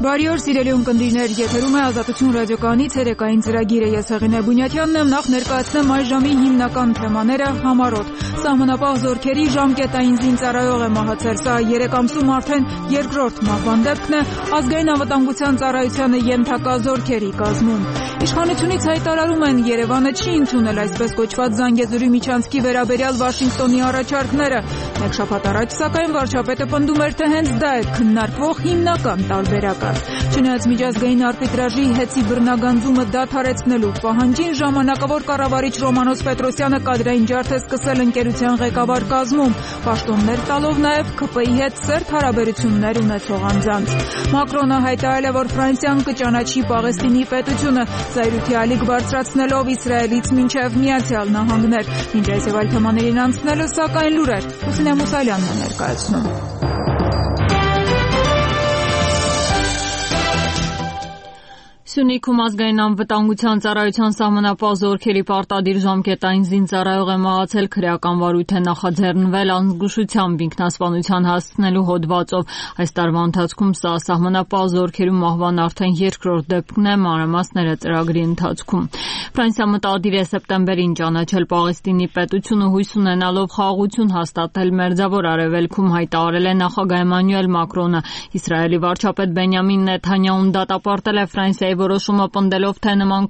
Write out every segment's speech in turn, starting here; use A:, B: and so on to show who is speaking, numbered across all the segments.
A: Բարի օր, սիրելի ունկնդիրներ, եթերում է Ազատություն ռադիոկայանի ցերեկային ծրագիրը։ Ես Հեղինե Բունյաթյանն եմ, նախ ներկայացնեմ այս ժամի հիմնական թեմաները համառոտ։ Սահմանապահ զորքերի ժամկետային զինծառայող է մահացել, սա 3 ամսում արդեն երկրորդ մահվան դեպքն է, ազգային անվտանգության ծառայությանը ենթակա զորքերի կազմում։ Իշխանությունից հայտարարում են, Երևանը չի ընդունել այսպես կոչված Զանգեզուրի միջանցքի վերաբերյալ Վաշինգտոնի առաջարկները։ Մեկ շաբաթ առաջ, սակայն, վարչապետը պնդում էր, թե հենց դա է քննարկվող հիմնական տարբերակը։ Չնայած միջազգային արբիտրաժի հեծի բռնագանձումը դադարեցնելու պահանջին, ժամանակավոր կառավարիչ Ռոմանոս Պետրոսյանը կադրային ջարդ է սկսել ընկերության ղեկավար կազմում, պաշտոններ տալով նաև ՔՊ-ի հետ սերտ հարաբերություններ ունեցող անձանց։ Մակրոնը հայտարարել է, որ Ֆրանսիան կճանաչի Պաղեստինի պետությունը, զայրույթի ալիք բարձրացնելով Իսրայելից մինչև Միացյալ Նահանգներ։ Մինչ այս եւ այլ թեմաներին անցնելը, սակայն լուրեր Լուսինե Մուսալյանն է ներկայացնում։
B: Սյունիքում ազգային անվտանգության ծառայության սահմանապահ զորքերի պարտադիր ժամկետային զինծառայող է մահացել, քրեական վարույթ է նախաձեռնվել անզգուշությամբ ինքնասպանության հասցնելու հոդվածով։ Այս տարվա ընթացքում սա սահմանապահ զորքերում մահվան արդեն երկրորդ դեպքն է, մանրամասները ծրագրի ընթացքում։ Ֆրանսիա մտադիր է սեպտեմբերին ճանաչել Պաղեստինի պետությունը, հույս ունենալով խաղաղություն հաստատել Մերձավոր Արևելքում, հայտարարել է նախագահ Էմանուել Մակրոնը։ Իսրայելի վարչապետ Բենյամին Նեթանյահուն դատապարտել է Ֆրանսիայի որոշումը, պնդելով, թե նման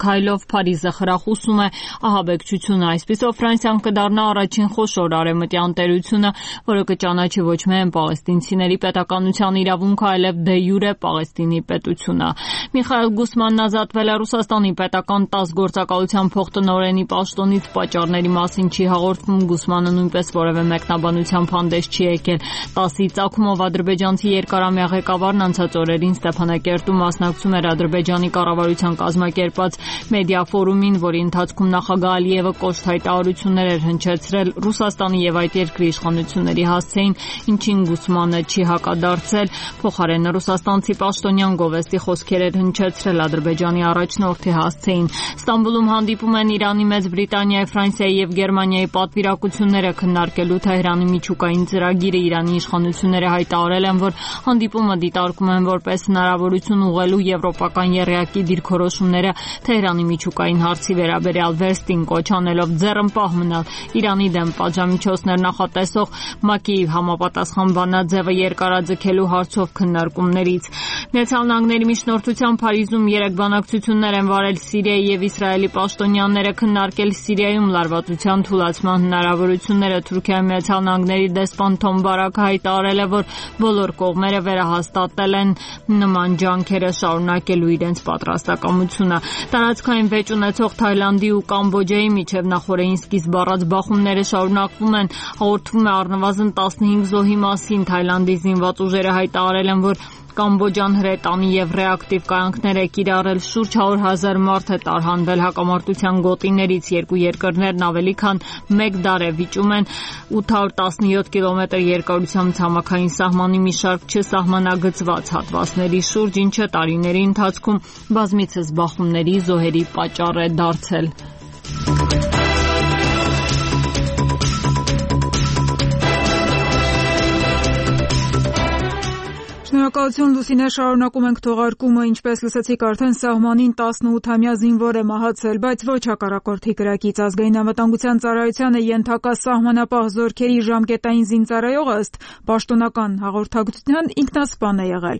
B: քայլով Փարիզը խրախուսում է ահաբեկչությունը։ Այսպիսով Ֆրանսիան կդառնա առաջին խոշոր արևմտյան տերությունը, որը կճանաչի ոչ միայն պաղեստինցիների պետականության իրավունքը, այլև դե յուրե Պաղեստինի պետությունը։ Միխայել Գուսմանն ազատվել է Ռուսաստանի պետական 10 գործակալության փոխտնօրենի պաշտոնից, պատճառների մասին չի հաղորդվում, Գուսմանը նույնպես որևէ մեկնաբանությամբ հանդես չի եկել։ 10-ի ծագումով ադրբեջանցի երկարամյա ղեկավարն անցած օրերին Ստեփանակերտում մասնակցում էր Ադրբեջանի կառավարության կազմակերպած մեդիա ֆորումին, որի ընթացքում նախագահ Ալիևը կոշտ հայտարարություններ էր հնչեցրել Ռուսաստանի եւ այդ երկրի իշխանությունների հասցեին, ինչին Գուսմանը չի հակադարձել, փոխարենը ռուսաստանցի պաշտոնյան գովեստի խոսքեր էր հնչեցրել Ադրբեջանի առաջնորդի հասցեին։ Ստամբուլում հանդիպում են Իրանի, Մեծ Բրիտանիայի, Ֆրանսիայի եւ Գերմանիայի պատվիրակությունները քննարկելու Թեհրանի միջուկային ծրագիրը։ Իրանի իշխանությունները հայտարարել են, որ հանդիպումը դիտարկում են որպես հնարավորություն ուղղելու եվրոպական եռյակի դիրքորոշումները Թեհրանի միջուկային հարցի վերաբերյալ վերստին կոչ անելով ձեռնպահ մնալ Իրանի դեմ պատժամիջոցներ նախատեսող ՄԱԿ-ի համապատասխան բանաձևը երկարաձգելու հարցով քննարկումներից։ Միացյալ Նահանգների միջնորդությամբ Փարիզում 3 բանակցություններ են վարել Սիրիայի եւ Իսրայելի պաշտոնյաները, քննարկել Սիրիայում լարվածության թուլացման հնարավորությունները։ Թուրքիայի Միացյալ Նահանգների դեսպան Թոմ Բարաքը հայտարարել է, որ բոլոր կողմերը վերահաստատել են նման ջանքերը շարունակելու իրենց պատրաստակամությունը։ Տարածքային վեճ ունեցող Թայլանդի ու Կամբոջայի միջև նախորդին սկիզբ առած բախումները շարունակվում են։ Հաղորդվում է առնվազն 15 զոհի մասին։ Թայլանդի զինված ուժերը հայտարարել են, որ Կամբոջան հրետանի եւ ռեակտիվ կայանքներ է կիրառել, շուրջ 100,000 մարդ է տարհանվել հակամարտության գոտիներից։ Երկու երկրներն ավելի քան 1 դար է վիճում են 817 կիլոմետր երկարությամբ ցամաքային սահմանի մի շարք չսահմանագծված հատվածների շուրջ, ինչը տարիների ընթացքում բազմիցս բախումների, զոհերի պատճառ է դարձել։
A: Շնորհակալություն Լուսինե, շարունակում ենք թողարկումը, ինչպես լսեցիք արդեն սահմանին 18-ամյա զինվոր է մահացել, բայց ոչ հակառակորդի կրակից։ Ազգային անվտանգության ծառայությանը ենթակա սահմանապահ զորքերի ժամկետային զինծառայողը ըստ պաշտոնական հաղորդակցության ինքնասպան է եղել։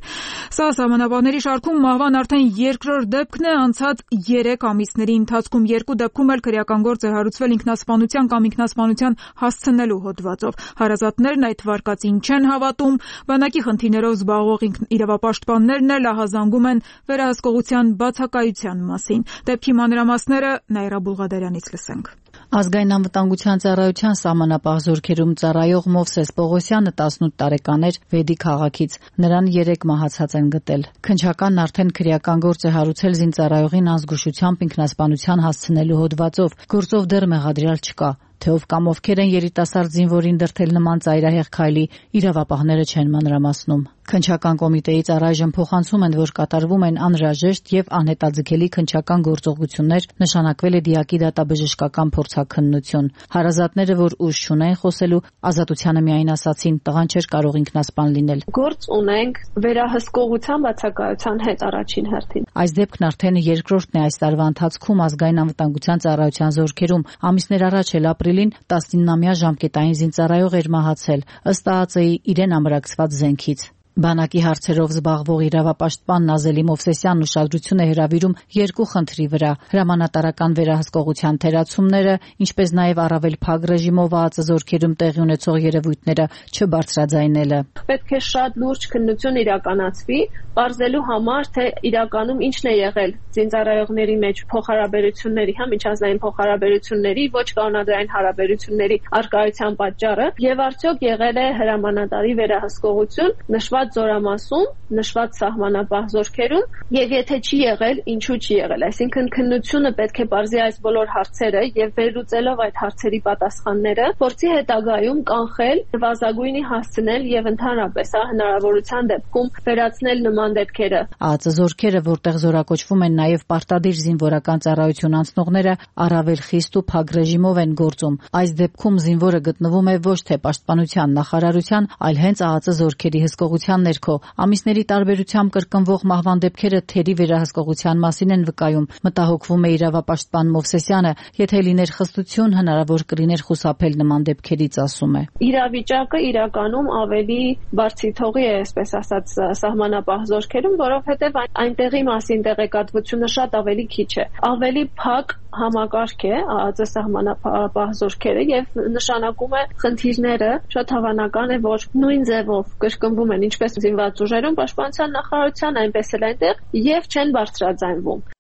A: Սա սահմանապահների շարքում մահվան արդեն երկրորդ դեպքն է, անցած 3 ամիսների ընթացքում 2 դեպքում էլ քրեական գործ է հարուցվել ինքնասպանության կամ ինքնասպանության հասցնելու հոդվածով։ Հարազատներն այդ վարկածին չեն հավատում, բանակի խնդիրներով զբաղվող իրավապաշտպաններն էլ ահազանգում են վերահսկողության բացակայության մասին։ Դեպքի մանրամասները Նաիրա Բուլղադարյանից լսենք։
C: Ազգային անվտանգության ծառայության սահմանապահ զորքերում ծառայող Մովսես Պողոսյանը 18 տարեկան էր Վեդի քաղաքից։ Նրան 3 մահացած են գտել։ Քննչականն արդեն քրեական գործ է հարուցել զինծառայողին անզգուշությամբ ինքնասպանության հասցնելու հոդվածով։ Գործով դեռ մեղադրյալ չկա։ Թե ով կամ ովքեր են երիտասարդ զինվորին դրդել նման ծայրահեղ քայլի, իրավապահները չեն մանրամասնում։ Քննչական կոմիտեից առայժմ փոխանցում են, որ կատարվում են անհրաժեշտ եւ անհետաձգելի քննչական գործողություններ, նշանակվել է դիակի դատաբժշկական փորձաքննություն։ Հարազատները, որ ուժ չունեն խոսելու, Ազատությանը միայն ասացին, տղան չէր կարող ինքնասպան լինել։
D: Գործ ունենք վերահսկողության բացակայության հետ առաջին հերթին։
C: Այս դեպքն արդեն երկրորդն է այս տարվա ընթացքում ազգային անվտանգության ծառայության զորքերում։ Ամիսներ առաջ էլ ապրիլին 19-ամյա ժամկետային զինծառայող էր մահացել, ըստ ԱԱԾ-ի իրեն ամրացված զենքից։ Բանակի հարցերով զբաղվող իրավապաշտպան Նազելի Մովսեսյանն ուշադրություն է հրավիրում երկու խնդրի վրա՝ հրամանատարական վերահսկողության թերացումները, ինչպես նաև առավել փակ ռեժիմով ԱԱԾ զորքերում տեղի ունեցող երևույթները չբարձրաձայնելը։
D: Պետք է շատ լուրջ քննություն իրականացվի, պարզելու համար, թե իրականում ինչն է եղել զինծառայողների մեջ փոխհարաբերությունների, միջազգային փոխհարաբերությունների, ոչ կանոնադրային հարաբերությունների առկայության պատճառը, եւ արդյոք եղել է հրամանատարի վերահսկողություն նշված զորամասում, նշված սահմանապահ զորքերում, եւ եթե չի եղել, ինչու չի եղել։ Այսինքն քննությունը պետք է բարձի այս բոլոր հարցերը եւ վերլուծելով այդ հարցերի պատասխանները, փորձի հետագայում կանխել, նվազագույնի հասցնել եւ ընդհանրապես հնարավորության դեպքում վերացնել նման դեպքերը։
C: ԱԱԾ զորքերը, որտեղ զորակոչվում են նաև պարտադիր զինվորական ծառայություն անցնողները, առավել խիստ ու փակ ռեժիմով են գործում։ Այս դեպքում զինվորը գտնվում է ոչ թե պաշտպանության նախարարության, այլ հենց ԱԱԾ զորքերի հսկողության ներքո։ Ամիսների տարբերությամբ կրկնվող մահվան դեպքերը թերի վերահսկողության մասին են վկայում։ Մտահոգվում է իրավապաշտպան Մովսեսյանը, եթե լիներ խստություն, հնարավոր կլիներ խուսափել նման դեպքերից, ասում է։
D: Իրավիճակը իրականում ավելի բարձիթողի է, այսպես ասած, սահմանապահ զորքերում, որովհետև այնտեղի մասին տեղեկատվությունը շատ ավելի քիչ է։ Ավելի փակ համակարգ է ԱԱԾ սահմանապահ զորքերը եւ նշանակում է խնդիրները շատ հավանական է, որ նույն ձևով կրկնվում են ինչպես զինված ուժերում պաշտպանության նախարարության, այնպես էլ այնտեղ եւ չեն բարձրաձայնվում։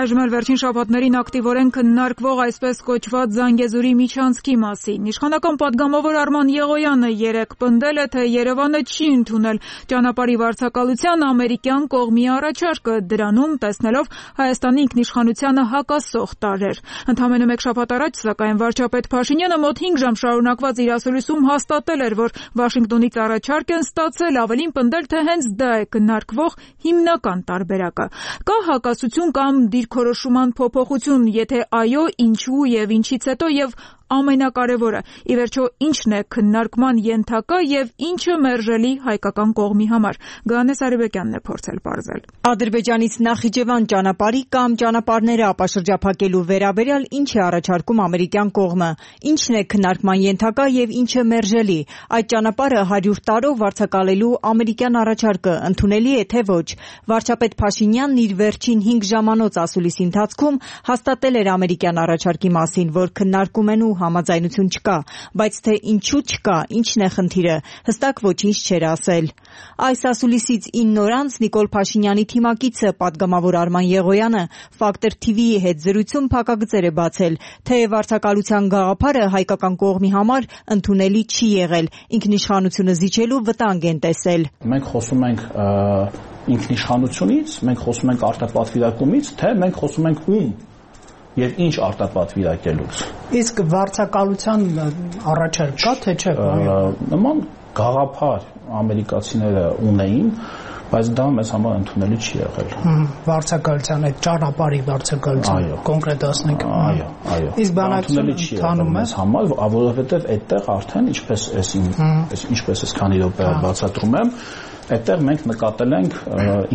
A: Այժմ էլ վերջին շաբաթներին ակտիվորեն քննարկվող այսպես կոչված Զանգեզուրի միջանցքի մասին։ Իշխանական պատգամավոր Արման Եղոյանը երեկ պնդել է, թե Երևանը չի ընդունել ճանապարհի վարձակալության ամերիկյան կողմի առաջարկը, դրանում տեսնելով Հայաստանի ինքնիշխանությանը հակասող տարրեր։ Ընդամենը մեկ շաբաթ առաջ, սակայն, վարչապետ Փաշինյանը մոտ 5 ժամ շարունակված իր ասուլիսում հաստատել էր, որ Վաշինգտոնից առաջարկ են ստացել, ավելին պնդել, թե հենց դա է քննարկվող հիմնական տարբերակը։ Կա հակասություն կամ դիրքորոշման փոփոխություն, եթե այո, ինչու եւ ինչից հետո եւ ամենակարևորը, ի վերջո, ինչն է քննարկման ենթակա եւ ինչը մերժելի հայկական կողմի համար։ Գանես Արիբեկյանն է փորձել պարզել։
E: Ադրբեջանից Նախիջևան ճանապարհի կամ ճանապարհները ապաշրջափակելու վերաբերյալ ինչ է առաջարկում ամերիկյան կողմը, ինչն է քննարկման ենթակա եւ ինչը մերժելի։ Այդ ճանապարհը 100 տարով վարձակալելու ամերիկյան առաջարկը ընդունելի է թե ոչ։ Վարչապետ Փաշինյանն իր վերջին 5 ժամանոց ասուլիսի ընթացքում հաստատել էր ամերիկյան առաջարկի մասին, որ քննարկում են ու համաձայնություն չկա, բայց թե ինչու չկա, ինչն է խնդիրը, հստակ ոչինչ չէր ասել։ Այս ասուլիսից 9 օր անց Նիկոլ Փաշինյանի թիմակիցը պատգամավոր Արման Եղոյանը Factor TV-ի հետ զրույցում փակագծեր է բացել, թե վարձակալության գաղափարը հայկական կողմի համար ընդունելի չի եղել, ինքնիշխանությունը զիջելու վտանգ են տեսել։
F: Մենք խոսում ենք ինքնիշխանությունից, մենք խոսում ենք արտապատվիրակումից, թե մենք խոսում ենք ում եւ ինչ արտապատվիրակելուց։
G: Իսկ վարձակալության առաջարկ կա թե չէ։
F: Նման գաղափար ամերիկացիները ունեին, բայց դա մեզ համար ընդունելի չի եղել։
G: Վարձակալության այդ ճանապարհի վարձակալության կոնկրետացնենք։
F: Այո։
G: Իսկ բանակցությունը ընդանում է
F: մեզ համար, որովհետեւ այդտեղ արդեն ինչպես ես քանի րոպե բացատրում եմ, այդտեղ մենք նկատել ենք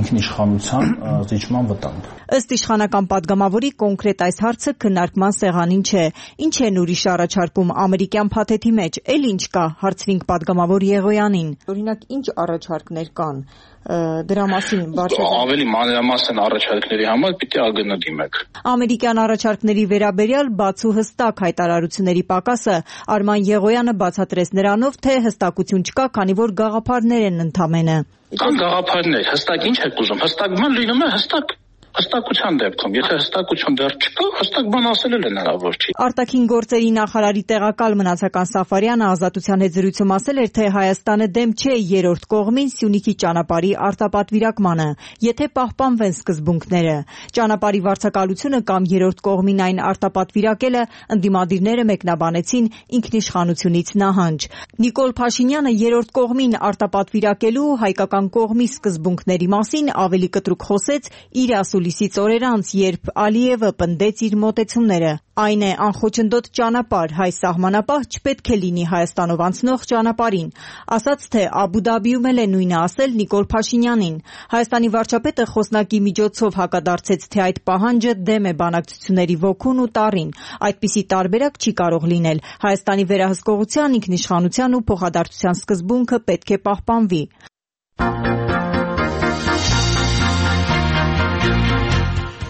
F: ինքնիշխանության զիջման վտանգ։
E: Ըստ իշխանական պատգամավորի կոնկրետ այս հարցը քննարկման սեղանին չէ։ Ինչ են ուրիշ առաջարկում ամերիկյան փաթեթի մեջ, էլ ինչ կա, հարցրինք պատգամավոր Եղոյանին։ Օրինակ, ինչ առաջարկներ կան դրա մասին
F: ավելի մանրամասն առաջարկների համար պիտի ԱԳՆ դիմեք։
E: Ամերիկյան առաջարկների վերաբերյալ բաց ու հստակ հայտարարությունների պակասը Արման Եղոյանը բացատրեց նրանով, թե հստակություն չկա, քանի որ գաղափարներ են ընդամենը։
F: Կան գաղափարներ, հստակ ինչ եք ուզում, հստակ ման լինում է հստակ Հստակության դեպքում, եթե հստակություն դեռ չկա, հստակ բան ասել էլ հնարավոր չի։
E: Արտաքին գործերի նախարարի տեղակալ Մնացական Սաֆարյանը Ազատության հետ զրույցում ասել էր, թե Հայաստանը դեմ չէ երրորդ կողմին Սյունիքի ճանապարհի արտապատվիրակմանը, եթե պահպանվեն սկզբունքները։ Ճանապարհի վարձակալությունը կամ երրորդ կողմին այն արտապատվիրակելը ընդդիմադիրները մեկնաբանեցին ինքնիշխանությունից նահանջ։ Նիկոլ Փաշինյանը երրորդ կողմին արտապատվիրակելու հայկական կողմի սկզբունքների մասին ավելի կտրուկ խոսեց իր ասուլիսից օրեր անց, երբ Ալիևը պնդեց իր մոտեցումները։ Այն է անխոչնդոտ ճանապարհ, հայ սահմանապահ չպետք է լինի Հայաստանով անցնող ճանապարհին, ասաց, թե Աբու Դաբիում էլ է նույնը ասել Նիկոլ Փաշինյանին։ Հայաստանի վարչապետը խոսնակի միջոցով հակադարձեց, թե այդ պահանջը դեմ է բանակցությունների ոգուն ու տառին։ Այդպիսի տարբերակ չի կարող լինել։ Հայաստանի վերահսկողության, ինքնիշխանության ու փոխադարձության սկզբունքը պետք է պահպանվի։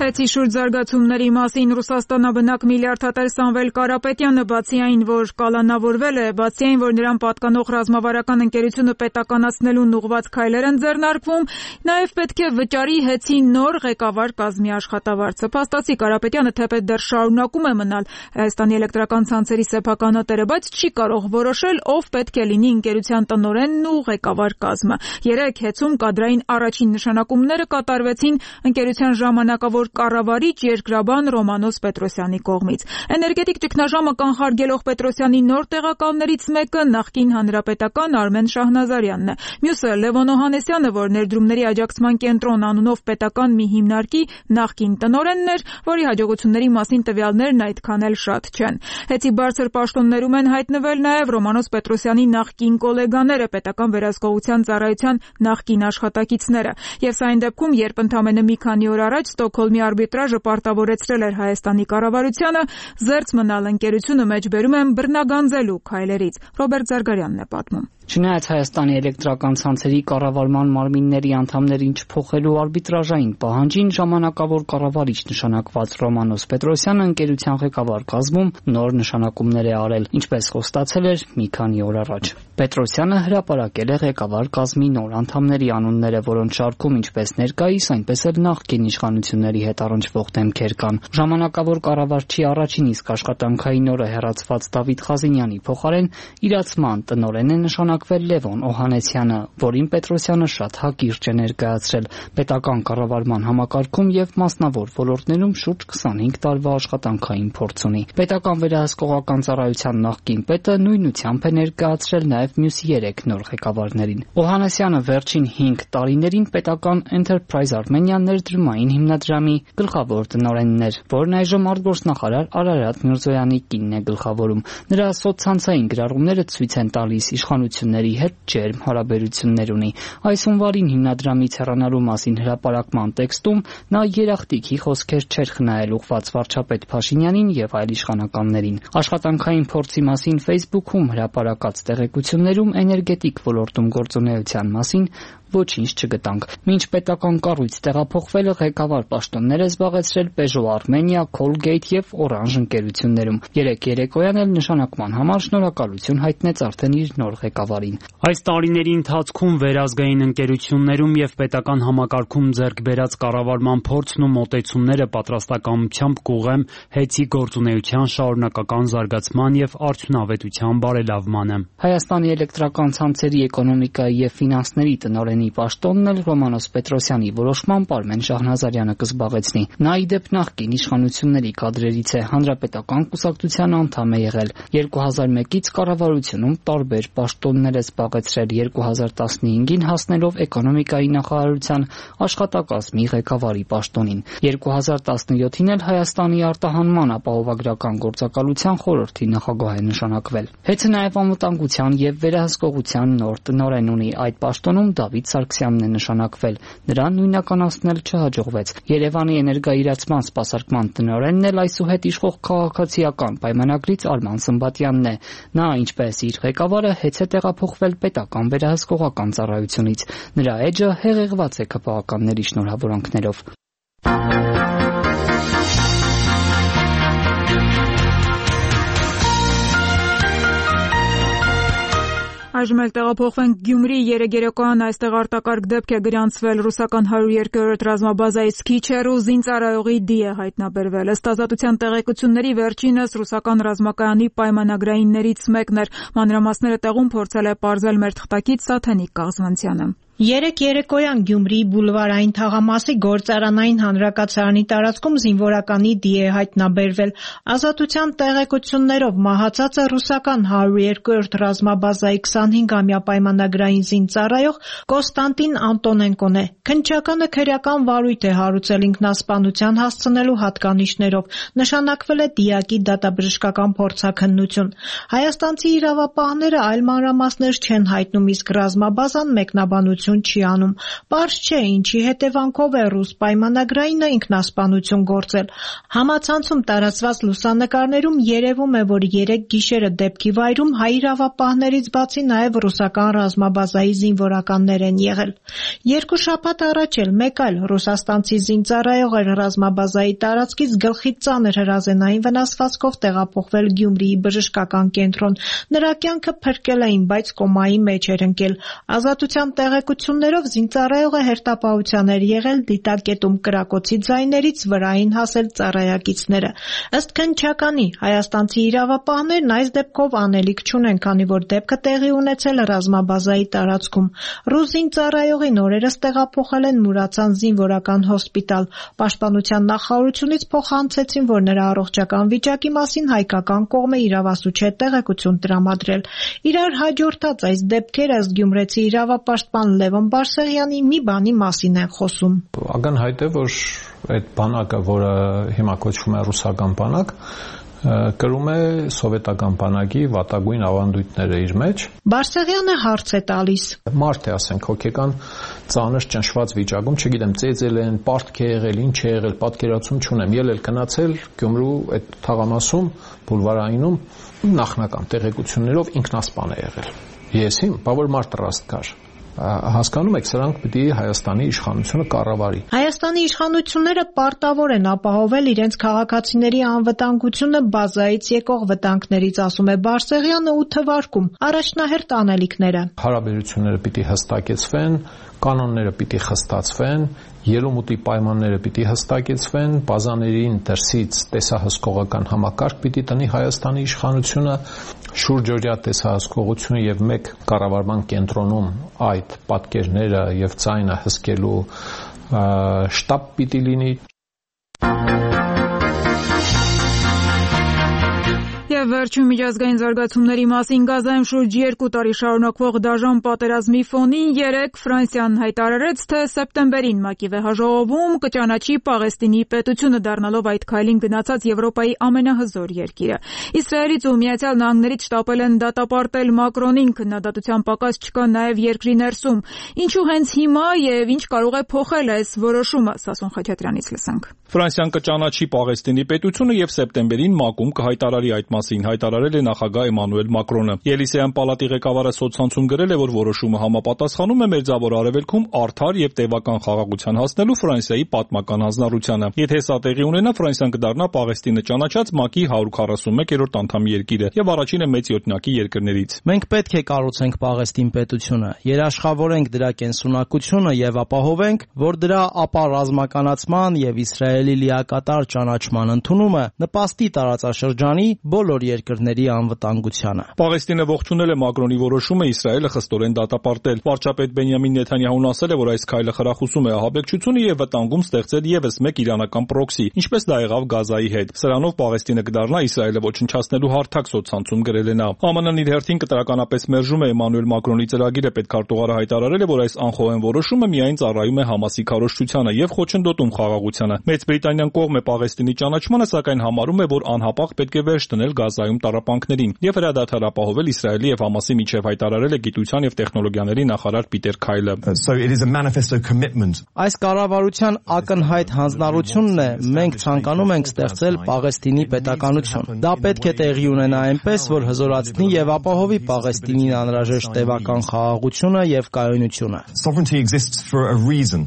A: Հետի շուրջ զարգացումների մասին Ռուսաստանաբնակ միլիարդատեր Սամվել Կարապետյանը բացի այն, որ կալանավորվել է, բացի այն, որ նրան պատկանող ռազմավարական ընկերությունը պետականացնելուն ուղղված քայլեր են ձեռնարկվում, նաև պետք է վճարի ՀԵՑ-ի նոր ղեկավար կազմի աշխատավարձը։ Փաստացի Կարապետյանը թեպետ դեռ շարունակում է մնալ Հայաստանի էլեկտրական ցանցերի սեփականատերը, բայց չի կարող որոշել, ով պետք է լինի ընկերության տնօրենն ու ղեկավար կազմը։ Երեկ ՀԵՑ-ում կադրային առաջին նշանակումները կատարվեցին ընկերության ժամանակավոր կառավարիչ երկրաբան Ռոմանոս Պետրոսյանի կողմից։ Էներգետիկ ճգնաժամը կանխարգելող Պետրոսյանի նոր տեղակալներից մեկը նախկին հանրապետական Արմեն Շահնազարյանն է։ Մյուսը Լևոն Օհանեսյանը, որ ներդրումների աջակցման կենտրոն անունով պետական մի հիմնարկի նախկին տնօրենն էր, որի հաջողությունների մասին տվյալներն այդքան էլ շատ չեն։ ՀԵՑ-ի բարձր պաշտոններում են հայտնվել նաև Ռոմանոս Պետրոսյանի նախկին գոլեգաները, պետական վերահսկողության ծառայության նախկին աշխատակիցները։ Եվ սա այն դեպքում, երբ ընդամենը մի քանի օր առաջ Ստոկհոլմի արբիտրաժը պարտավորեցրել էր Հայաստանի կառավարությանը զերծ մնալ ընկերությունը մեջբերում են բռնագանձելու քայլերից։ Ռոբերտ Զարգարյանն է պատմում։
H: Չնայած Հայաստանի էլեկտրական ցանցերի կառավարման մարմինների անդամներին չփոխելու արբիտրաժային պահանջին, ժամանակավոր կառավարիչ նշանակված Ռոմանոս Պետրոսյանը ընկերության ղեկավար կազմում նոր նշանակումներ է արել, ինչպես խոստացել էր մի քանի օր առաջ։ Պետրոսյանը հրապարակել է ղեկավար կազմի նոր անդամների անունները, որոնց շարքում ինչպես ներկայիս, այնպես էլ նախկին իշխանությունների հետ առնչվող դեմքեր կան։ Ժամանակավոր կառավարչի առաջին իսկ աշխատանքային օրը հեռացված Դավիթ Խազինյանի փոխարեն իրացման տնօրեն է նշանակվել Լևոն Օհանեսյանը, որին Պետրոսյանը շատ հակիրճ է ներկայացրել պետական կառավարման համակարգում եւ մասնավոր ոլորտներում շուրջ 25 տարվա աշխատանքային փորձ ունի։ Պետական վերահսկողական ծառայության նախկին պետը նույնությամբ է ներկայացրել նաեւ մյուս 3 նոր ղեկավարներին։ Օհանեսյանը վերջին 5 տարիներին պետական Enterprise Armenia ներդրումային հիմնադրամի գլխավոր տնօրենն էր, որն այժմ արտգործնախարար Արարատ Միրզոյանի կինն է գլխավորում։ Նրա սոցցանցային գրառումները ցույց են տալիս իշխանությունների հետ ջերմ հարաբերություններ ունի։ Այս հունվարին հիմնադրամից հեռանալու մասին հրապարակման տեքստում նա երախտիկի խոսքեր չէր խնայել ուղղված վարչապետ Փաշինյանին եւ այլ իշխանականներին։ Աշխատանքային փորձի մասին Facebook-ում հրապարակած տեղեկություններում էներգետիկ ոլորտում գործունեության մասին ոչինչ չգտանք։ Մինչ պետական կառույց տեղափոխվելը ղեկավար պաշտոններ է զբաղեցրել Peugeot Armenia, Colgate եւ Orange ընկերություններում։ Երեկ երեկոյան էլ նշանակման համար շնորհակալություն հայտնեց արդեն իր նոր ղեկավարին։
I: Այս տարիների ընթացքում վերազգային ընկերություններում եւ պետական համակարգում ձեռք բերած կառավարման փորձն ու մոտեցումները պատրաստակամությամբ կուղղեմ ՀԵՑ-ի գործունեության շարունակական զարգացման եւ արդյունավետության բարելավմանը։
H: Հայաստանի էլեկտրական ցանցերի էկոնոմիկայի եւ ֆինանսների տնօրենի պաշտոնն էլ Ռոմանոս Պետրոսյանի որոշմամբ Արմեն Շահնազարյանը կզբաղեցնի։ Նա ի դեպ նախկին իշխանությունների կադրերից է, հանրապետական կուսակցության անդամ է եղել։ 2001-ից կառավարությունում տարբեր պաշտոններ է զբաղեցրել, 2015-ին հասնելով էկոնոմիկայի նախարարության աշխատակազմի ղեկավարի պաշտոնին։ 2017-ին էլ Հայաստանի արտահանման ապահովագրական գործակալության խորհրդի նախագահ է նշանակվել։ ՀԵՑ-ը նաև անվտանգության եւ վերահսկողության նոր տնօրեն ունի։ Այդ պաշտոնում Դավիթ Սարգսյանն է նշանակվել։ Նրան նույնականացնել չհաջողվեց։ Երևանի էներգաիրացման սպասարկման տնօրենն էլ այսուհետ իշխող քաղաքացիական պայմանագրից Արման Սմբատյանն է։ Նա, ինչպես իր ղեկավարը, հետ է տեղափոխվել պետական վերահսկողական ծառայությունից։ Նրա էջը հեղեղված է ԿՊԱ-ականների շնորհավորանքներով։
A: Այժմ էլ տեղափոխվենք Գյումրի երեկոյան այստեղ արտակարգ դեպք է գրանցվել ռուսական 102-րդ ռազմաբազայից քիչ հեռու զինծառայողի դի է հայտնաբերվել։ Ըստ ազատության տեղեկությունների վերջինս ռուսական ռազմակայանի պայմանագրայիններից մեկն էր։ Մանրամասները տեղում փորձել է պարզել մեր թղթակից Սաթենիկ Կաղզանցյանը։
G: Երեկ երեկոյան Գյումրիի բուլվարային թաղամասի գործարանային հանրակացարանի տարածքում զինվորականի դի է հայտնաբերվել։ Ազատության տեղեկություններով մահացածը ռուսական 102-րդ ռազմաբազայի 25-ամյա պայմանագրային զինծառայող Կոստանտին Անտոնենկոն է։ Քննչականը քրեական վարույթ է հարուցել ինքնասպանության հասցնելու հատկանիշներով։ Նշանակվել է դիակի դատաբժշկական փորձաքննություն։ Հայաստանցի իրավապահները այլ մանրամասներ չեն հայտնում, իսկ ռազմաբազան մեկնաբանություն չի անում։ Պարզ չէ, ինչի հետևանքով է ռուս պայմանագրայինը ինքնասպանություն գործել։ Համացանցում տարածված լուսանկարներում երևում է, որ 3 գիշերը դեպքի վայրում հայ իրավապահներից բացի նաև ռուսական ռազմաբազայի զինվորականներ են եղել։ 2 շաբաթ առաջ էլ մեկ այլ ռուսաստանցի զինծառայող էր ռազմաբազայի տարածքից գլխի ծանր հրազենային վնասվածքով տեղափոխվել Գյումրիի բժշկական կենտրոն։ Նրա կյանքը փրկել էին, բայց կոմայի մեջ էր ընկել։ Ազատության տեղեկություններով զինծառայողը հերթապահության էր եղել դիտակետում կրակոցի ձայներից վրային հասել ծառայակիցները։ Ըստ քննչականի, հայաստանցի իրավապահներն այս դեպքով անելիք չունեն, քանի որ դեպքը տեղի ունեցել ռազմաբազայի տարածքում։ Ռուս զինծառայողին օրերս տեղափոխել են Մուրացան զինվորական հոսպիտալ։ Պաշտպանության նախարարությունից փոխանցեցին, որ նրա առողջական վիճակի մասին հայկական կողմը իրավասու չէ տեղեկություն տրամադրել։ Իրար հաջորդած այս դեպքերը ըստ գյումրեցի իրավապաշտպան Լևոն Բարսեղյանի մի բանի մասին են խոսում։
J: Ակնհայտ է, որ այդ բանակը, որը հիմա կոչվում է ռուսական բանակ, կրում է սովետական բանակի վատագույն ավանդույթները իր մեջ։
G: Բարսեղյանը հարց է տալիս։
J: Մարդ է, ասենք, հոգեկան ծանր ճնշված վիճակում, չգիտեմ, ծեծել են, պարտք է եղել, ինչ է եղել, պատկերացում չունեմ։ Ելել գնացել Գյումրու այդ թաղամասում, բուլվարայինում նախնական տեղեկություններով ինքնասպան է եղել։ Ես իմ, բավարար մարդ ռաստ կար։ Հասկանում եք, սրանք պիտի Հայաստանի իշխանությունը կառավարի։
G: Հայաստանի իշխանությունները պարտավոր են ապահովել իրենց քաղաքացիների անվտանգությունը բազայից եկող վտանգներից, ասում է Բարսեղյանը ու թվարկում առաջնահերթ անելիքները։
J: Հարաբերությունները պիտի հստակեցվեն, կանոնները պիտի խստացվեն, ելումուտի պայմանները պիտի հստակեցվեն, բազաներին դրսից տեսահսկողական համակարգ պիտի տնի Հայաստանի իշխանությունը, շուրջօրյա տեսահսկողությունը եւ մեկ կառավարման կենտրոնում այդ պատկերները եւ ձայնը հսկելու շտաբ պիտի լինի։
A: Եվ վերջին միջազգային զարգացումների մասին Գազայում շուրջ 2 տարի շարունակվող դաժան պատերազմի ֆոնին 3 Ֆրանսիան հայտարարեց, թե սեպտեմբերին ՄԱԿ-ի վեհաժողովում կճանաչի Պաղեստինի պետությունը, դառնալով այդ քայլին գնացած Եվրոպայի ամենահզոր երկիրը։ Իսրայելից ու Միացյալ Նահանգներից շտապել են դատապարտել Մակրոնին, քննադատության պակաս չկա նաև երկրի ներսում։ Ինչու հենց հիմա եւ ինչ կարող է փոխել այս որոշումը, Սասուն Խաչատրյանից լսենք։
K: Ֆրանսիան կճանաչի Պաղեստինի պետությունը եւ սեպտեմբերին ՄԱԿ-ում կհայտարարի այդ մասին, հայտարարել է նախագահ Էմանուել Մակրոնը։ Ելիսեյան պալատի ղեկավարը սոցցանցում գրել է, որ որոշումը համապատասխանում է Մերձավոր Արևելքում արդար եւ տևական խաղաղության հասնելու Ֆրանսիայի պատմական հանձնառությանը։ Եթե սա տեղի ունենա, Ֆրանսիան կդառնա Պաղեստինը ճանաչած ՄԱԿ-ի 141-րդ անդամ երկիրը եւ առաջինը մեծ յոթնյակի երկրներից։
L: Մենք պետք է կառուցենք Պաղեստին պետությունը, երաշխավորենք դրա կենսունակությունը եւ ապահովենք, որ դրա ապառազմականացման եւ Իսրայելի լիակատար ճանաչման ընդունումը նպաստի տարածաշրջանի բոլոր երկրների անվտանգությանը։
K: Պաղեստինը ողջունել է Մակրոնի որոշումը Իսրայելը խստորեն դատապարտել։ Վարչապետ Բենյամին Նեթանյահուն ասել է, որ այս քայլը խրախուսում է ահաբեկչությունը եւ վտանգում ստեղծել եւս մեկ իրանական պրոքսի, ինչպես դա եղավ Գազայի հետ։ Սրանով Պաղեստինը կդառնա Իսրայելը ոչնչացնելու հարթակ, սոցցանցում գրել է նա։ ԱՄՆ-ն իր հերթին կտրականապես մերժում է Էմանուել Մակրոնի ծրագիրը, պետքարտուղարը հայտարարել է, որ այս անխոհեն որոշումը միայն ծառայում է Համասի քարոզչությանը եւ խոչընդոտում խաղաղությանը։ Մեծ Բրիտանիան կողմ է Պաղեստինի ճանաչմանը, սակայն համարում է, որ անհապաղ պետք է վերջ դնել Գազայում տառապանքներին եւ հրադադար ապահովել Իսրայելի եւ Համասի միջև, հայտարարել է գիտության եւ տեխնոլոգիաների նախարար Պիտեր Քայլը։
L: Այս կառավարության ակնհայտ հանձնառությունն է, մենք ցանկանում ենք ստեղծել Պաղեստինի պետականություն։ Դա պետք է տեղի ունենա այնպես, որ հզորացնի եւ ապահովի Պաղեստինին անհրաժեշտ տևական խաղաղությունը եւ կայունությունը։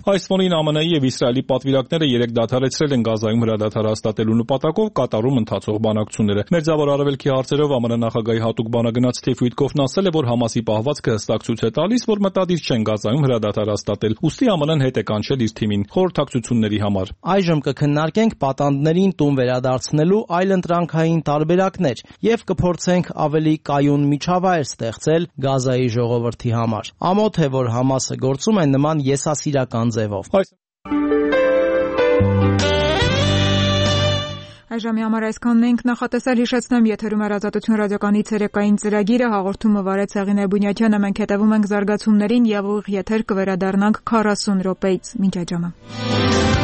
K: Այս ֆոնին ԱՄՆ-ի եւ Իսրայելի պատվիրակները 3 դադարեցրել են Գազայում հրադադար հաստատելու նպատակով կատարում ընթացող բանակցությունները։ Մերձավոր Արևելքի հարցերով ԱՄՆ նախագահի հատուկ բանագնաց Սթիվ Ուիտկոֆն ասել է, որ Համասի պահվածքը հստակ ցույց է տալիս, որ մտադիր չեն Գազայում հրադադար հաստատել։ Ուստի ԱՄՆ-ն հետ է կանչել իր թիմին խորհրդակցությունների համար։
L: Այժմ կքննարկենք պատանդներին տուն վերադարձնելու այլընտրանքային տարբերակներ եւ կփորձենք ավելի կայուն միջավայր ստեղծել Գազայի ժողովրդի համար։ Ամոթ է, որ Համասը գործում է նման եսասիրական ձևով։
A: Այժմի համար այսքանն ենք նախատեսել, հիշեցնեմ, եթերում է Ազատություն ռադիոկայանի ցերեկային ծրագիրը, հաղորդումը վարեց Հեղինե Բունյաթյանը, մենք հետևում ենք զարգացումներին եւ ուղիղ եթեր կվերադառնանք 40 րոպեից։ Մինչ այդ ժամը։